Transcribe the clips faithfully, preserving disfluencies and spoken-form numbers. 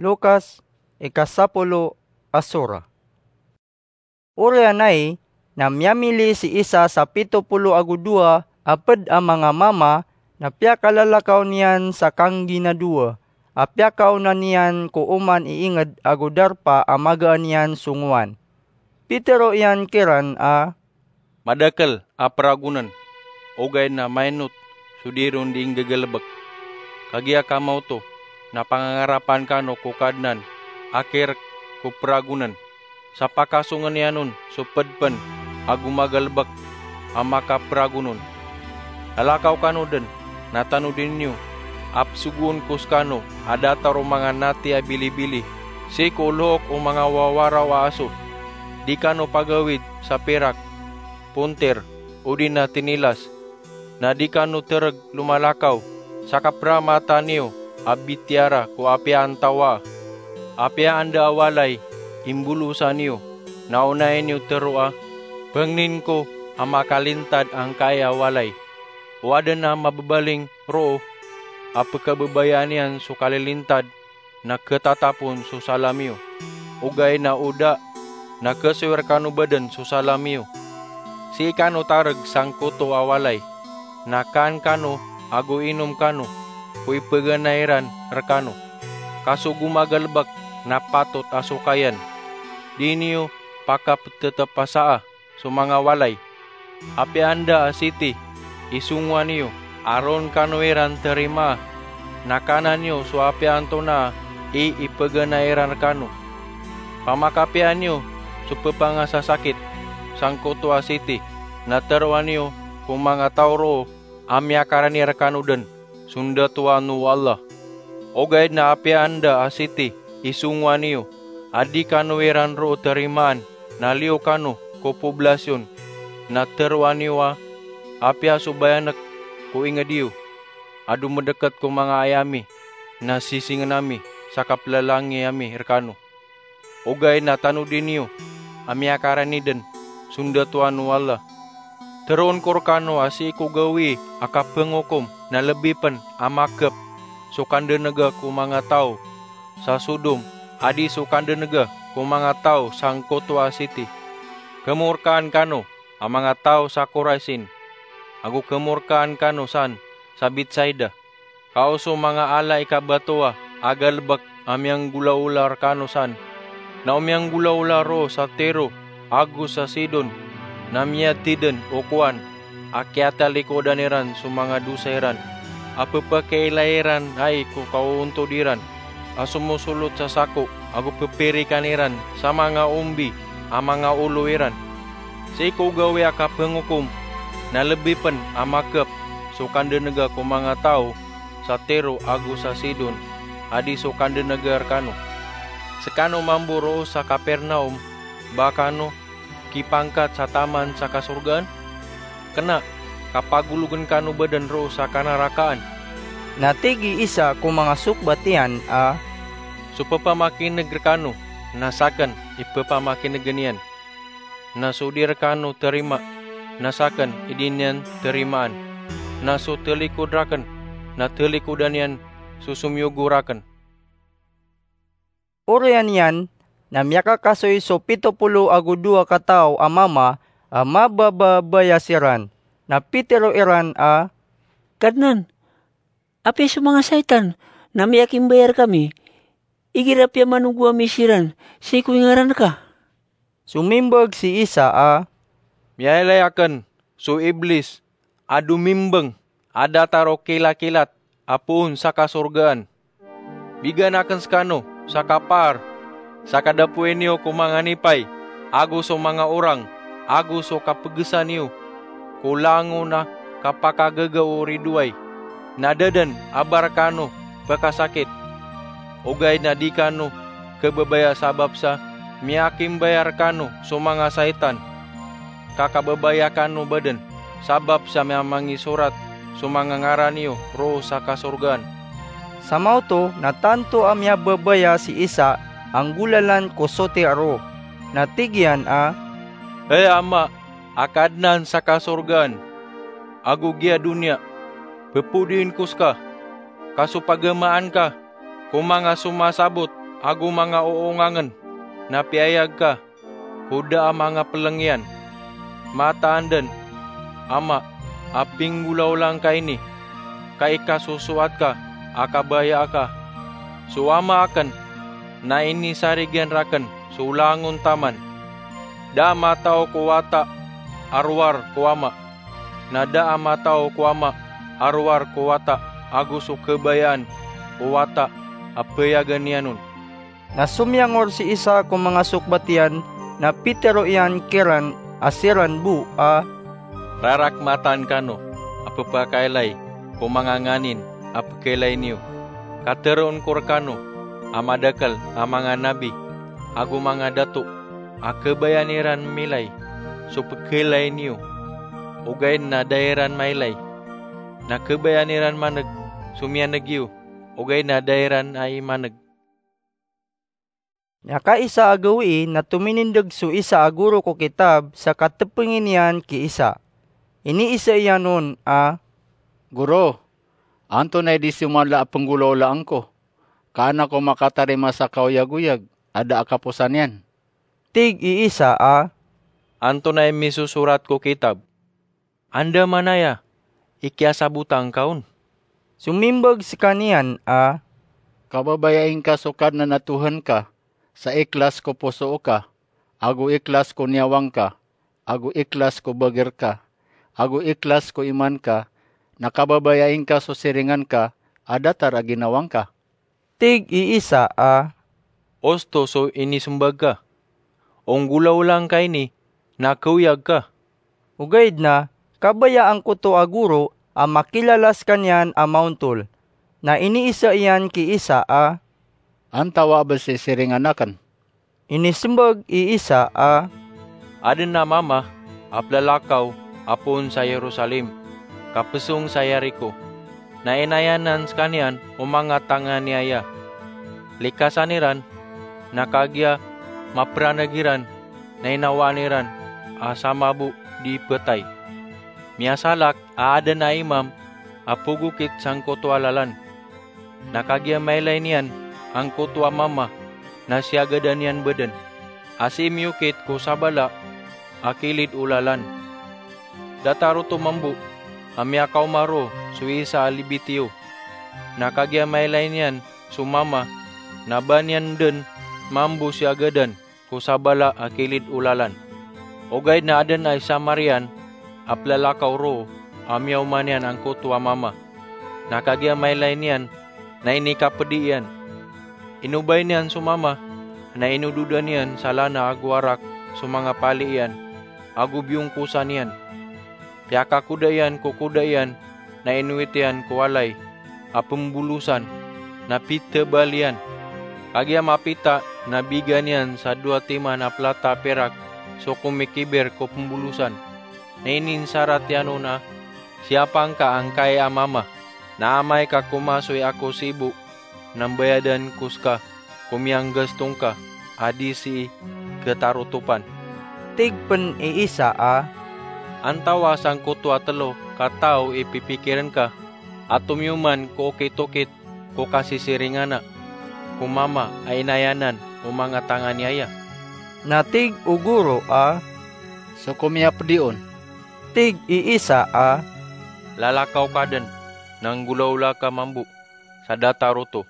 Lukas, ikasapolo a sura. Oriyan ai, na miyamili si Isa sa pito polo ago dowa a pd a manga mama, na piyakalalakaw niyan sa kangginadowa a piyakaonan iyan ko oman i ingd ago darpa a magaan iyan songowan. Pitharo iyan kiran a, "Madakl a pragonn, ogaid na mainot so di ron di nggagalbk. Kagiya kamaoto na pangangarapan kano ko Kadnan a kirk ko pragonn, sa pakasongn iyan on so pd pn a gomagalbk a makapragon on. Lalakaw kano dn, na tanodi niyo a psogoon ko skano a datar o manga nati a bilibili sii ko lohok o manga wawaraw a aso. Di kano pagawid sa pirak, pontir, odi na tinilas. Na di kano trg lomalakaw sa kapramataan iyo a bitiyara ko apiya antawaa. Apiya anda a walay i mbolosan iyo, na onai niyo tharoa, 'Pangnin ko a makalintad angkai a walay.' O adn a mababaling roo a pkhababayaan iyan so kalilintad, na khatatap on so salam iyo. Ogaid na o da, na khasoy rkano badn so salam iyo. Sii kano targ sangkoto a walay, na kaan kano ago inom kano ko ipaganay iran rkano. Ka so gomagalbk na patot a sokayan. Di niyo pakaptatapasaa so manga walay. Apiya anda a siti i songowan iyo a roo kano iran tarimaa, na kaanan iyo so apiya antonaa i ipaganay iran rkano. Pamakapiya niyo so ppangasasakit sangkoto a siti, na tharoa niyo ko manga taw roo a miyakarani rkano dn so ndatoan o Allah. Ogaid na apiya anda a siti i songowan iyo a di kano iran roo tarimaan, na liyo kano ko poblasyon, na tharoa niyo a, 'Apiya so bayank ko ingd iyo a domdkt ko manga aya ami, na sisingn ami sa kaplalangi ami rkano.' Ogaid na tanodi niyo a miyakarani dn so ndatoan o Allah. Tharoon ko rkano a sii ko gawii a kaphngokom na lbi pn a makp so kandnga ko manga taw sa Sodom a di so kandnga ko manga taw sangkoto a siti. Khmorkaan kano a manga taw sa Koraisin, ago khmorkaan kano san sa Betsaida. Ka o so manga ala i kabatowa a galbk a miyanggolaola rkano san, na o miyanggolaola roo sa Tiro ago sa Sidon, na miyatidn o kowan a kiyatalikodan iran so manga dosa iran, a pphakailay iran ai ko kaoontod iran, a somosolot sa sako ago pphirikan iran sa manga ombi a manga olo iran. Sii ko gawii a kaphngokom na lbi pn a makp so kandnga ko manga taw sa Tiro ago sa Sidon a di so kandnga rkano. Skano mambo roo sa Kapernaum, ba kano kipangkat sa taman sa kasorgaan? Kna, ka pagologn kano badn roo sa kanarakaan." Na tig i Isa ko manga sokbat iyan a, "So pphamakin'g rkano, na sakn i pphamakin'g niyan. Na so di rkano tarimaa, na sakn i di niyan tarimaan. Na so talikod rakn, na talikodan iyan so somiyogo rakn." Oriyan iyan na miyakakasoy so pito polo ago dowa kataw a mama a mabababaya siran. Na pitharo iran a, "Kadnan, apiya so manga saitan na miyakimbayar kami igira piyamanogo ami siran sii ko ingaran ka?" Somimbag si Isa a, "Miyailay akn so Iblis a domimbng a datar o kilakilat a poon sa kasorgaan. Bigan akn skano sa kapaar sa kadapoy niyo ko manga nipay ago so manga orang ago so kapgsa niyo ko langon a kapakagaga o ridoay, na da dn a ba rkano pkasakit. Ogaid na di kano kababaya sabap sa miyakimbayar kano so manga saitan. Ka kababaya kano badn sabap sa miyamangisorat so manga ngaran iyo roo sa kasorgaan." Samaoto na tanto a miyababaya si Isa a nggolalan ko soti a roo. Na tig iyan a, "Hay Ama a Kadnan sa kasorgaan ago giya doniya, pphodiin ko ska, ka so pagamaan ka ko manga somasabot ago manga oongangn na piyayag ka ko da a manga plng iyan. Mataan dn, Ama, a pinggolawla ngka ini, ka ikasosoat ka a kabaya aka. So Ama akn na inisarigan rakn so langon taman. Da a matao ko Wata a rowar ko Ama, na da a matao ko Ama a rowar ko Wata ago so kabayaan o Wata a bayagan iyan on. Na somiyangor si isa ko manga sokbat iyan, na pitero iyan kiran a siran bo a, "Rarakmatan kano a pphakailay ko manga nganin a pkhailay niyo. Kateroon ko rkano a madakl a manga nabi ago manga dato a khabayaan iran milay so pkhailay niyo, ogaid na da iran mailay. Na khabayaan iran man'g so miyan'g iyo, ogaid na da iran ai man'g." Miyakaisa a gawii na tominindg so isa a goro ko kitab sa katpngi niyan ki isa. Iniisa iyan on a, "Goro, antonaa i di siyoman la a pnggolawlaan ko, ka an ako makatarima sa kaoyagoyag a da a kaposan iyan?" Tig i isa a, "Antonaa i misosorat ko kitab? Andamanaya i kiyasabotan ka on?" Somimbag skaniyan a, "Kababayai ngka so Kadnan a Tohan ka sa ikhlas ko poso ka, ago ikhlas ko niyawang ka, ago ikhlas ko bagr ka, ago ikhlas ko iman ka, na kababayai ngka so siringan ka a datar a ginawa ngka." Tig i isa a, "Osto so inismbag ka. Onggolawla ngka ini na khaoyag ka." Ogaid na kabaya angkoto a goro a makilala skaniyan a maontol. Na iniisa iyan ki isa a, "Antawaa bs i siringan akn?" Inismbag i isa a, "Adn a mama a plalakaw a poon sa Jerusalem, ka psong sa Jericho, na inayanan skaniyan o manga tanganiaya. Likasan iran, na kagiya mapran'g iran na inawaan iran a sama bo di ptay. Miyasalak a adn a imam a pogokit sangkoto a lalan. Na kagiya mailay niyan angkoto a mama na siyagadan iyan bdn a sii miyokit ko sabala a kilid o lalan. Datar oto mambo a miyakaoma roo so isa a Lebitiyo. Na kagiya mailay niyan so mama na ba niyan dn mambo siyagadan ko sabala a kilid o lalan. Ogaid na adn a isa Marian a plalakaw roo a miyaoma niyan angkoto a mama. Na kagiya mailay niyan na inikapdi iyan. Inobay niyan so mama, na inododan iyan sa lana ago arak so manga pali iyan ago biyongkosan iyan. Piyakakoda iyan ko koda iyan, na inowit iyan ko walay a pmbolosan, na pitbal iyan. Kagiya mapita na bigan iyan sa dowa timan a plata a pirak so komikibir ko pmbolosan. Na ininsarat iyan on a, 'Siyapa ngka angkai a mama, na amay ka komasoy ako sii bo na mbayadan ko ska ko miyanggasto ngka a di sii khatarotopan.'" Tig pn i isa a, "Antawaa sangkoto a tlo ka taw i pipikirn ka a tomiyoman ko okit-okit ko kasisiringana ko mama a inayanan o manga tanganiaya?" Na tig o goro a, "So komiyapdi on." Tig i isa a, "Lalakaw ka dn, na nggolawla ka mambo sa datar oto."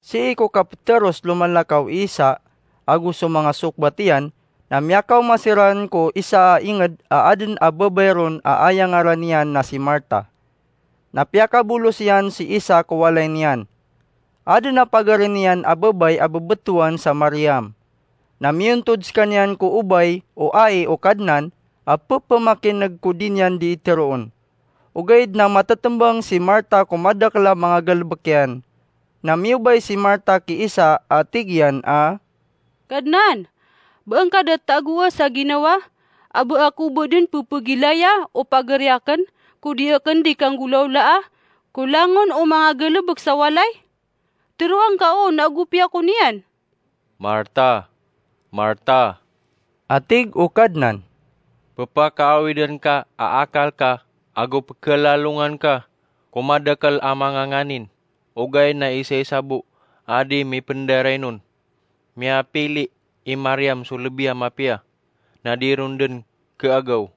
Sii ko kapteros lomalakaw i Isa ago so manga sokbat iyan, na miyakaoma siran ko isa a inged a aden a babay ron a aya ngaran iyan na si Marta. Na piyakabolos iyan si Isa ko walay niyan. Aden a pagari niyan a babay a bebetowan sa Mariam. Na miyontod sekaniyan ko obay o ai o Kadnan a pepemakineg ko di niyan di iteroon. Ogaid na matetembang si Marta ko madakel a manga galebek iyan. Na miyobay si Marta ki Isa a tig iyan a, "Kadnan, ba angka da tagoa sa ginawa a ba ako ba den pepegilaya o pagari aken ko di aken di kanggolawlaa ko langon o manga galebek sa walay? Teroa ngka on ago piya ko niyan." "Marta, Marta," a tig o Kadnan, "pepakaawiden ka a akal ka ago pekelalongan ka ko madakel a manga nganin, ogaid na isaisa bo a di mipndaray non. Miyapili i Mariam so lbi a mapiya, na di ron dn khaagaw.